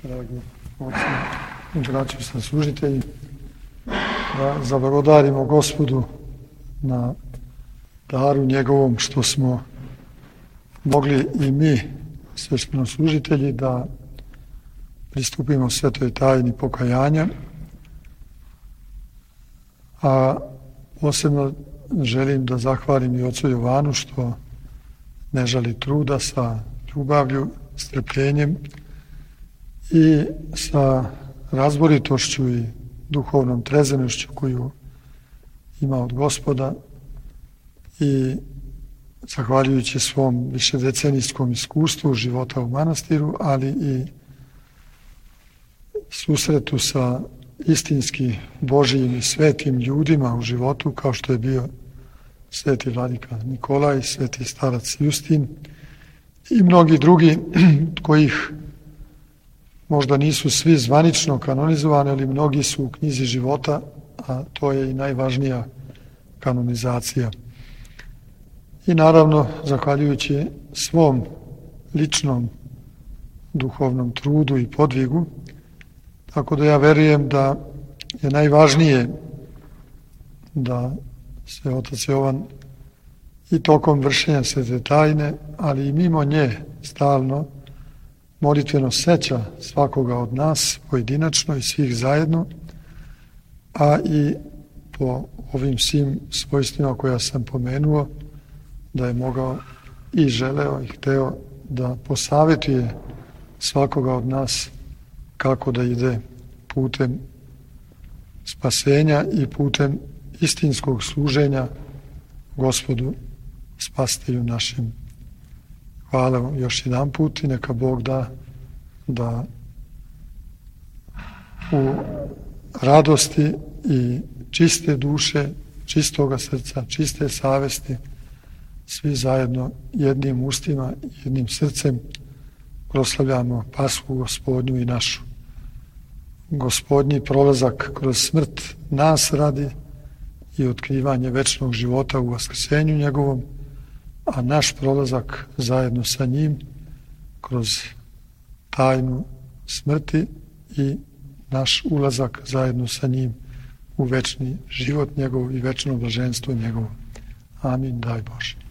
dragi oci i braćo saslužitelji, da zablagodarimo Gospodu na daru njegovom što smo mogli i mi, sveštenoslужitelji, da pristupimo svetoj tajni pokajanja, a posebno želim da zahvalim i ocu Jovanu što ne žali truda, sa ljubavlju, strpljenjem i sa razboritošću i duhovnom trezvenošću koju ima od Gospoda, i zahvaljujući svom višedecenijskom iskustvu života u manastiru, ali i susretu sa istinski Božijim i svetim ljudima u životu, kao što je bio sveti vladika Nikolaj, sveti starac Justin i mnogi drugi kojih možda nisu svi zvanično kanonizovani, ali mnogi su u knjizi života, a to je i najvažnija kanonizacija. I naravno, zahvaljujući svom ličnom duhovnom trudu i podvigu, tako da ja verujem da je najvažnije da se otac Jovan i tokom vršenja svete tajne, ali i mimo nje stalno molitveno seća svakoga od nas pojedinačno i svih zajedno, a i po ovim svim svojstvima koja sam pomenuo, da je mogao i želeo i hteo da posavetuje svakoga od nas kako da ide putem spasenja i putem istinskog služenja Gospodu Spasitelju našem. Hvala vam još jedan put i neka Bog da u radosti i čiste duše, čistoga srca, čiste savesti, svi zajedno jednim ustima, jednim srcem proslavljamo Pashu Gospodnju i našu. Gospodnji prolazak kroz smrt nas radi i otkrivanje večnog života u vaskrsenju njegovom, a naš prolazak zajedno sa njim kroz tajnu smrti i naš ulazak zajedno sa njim u večni život njegov i večno blaženstvo njegovo. Amin, daj Bože.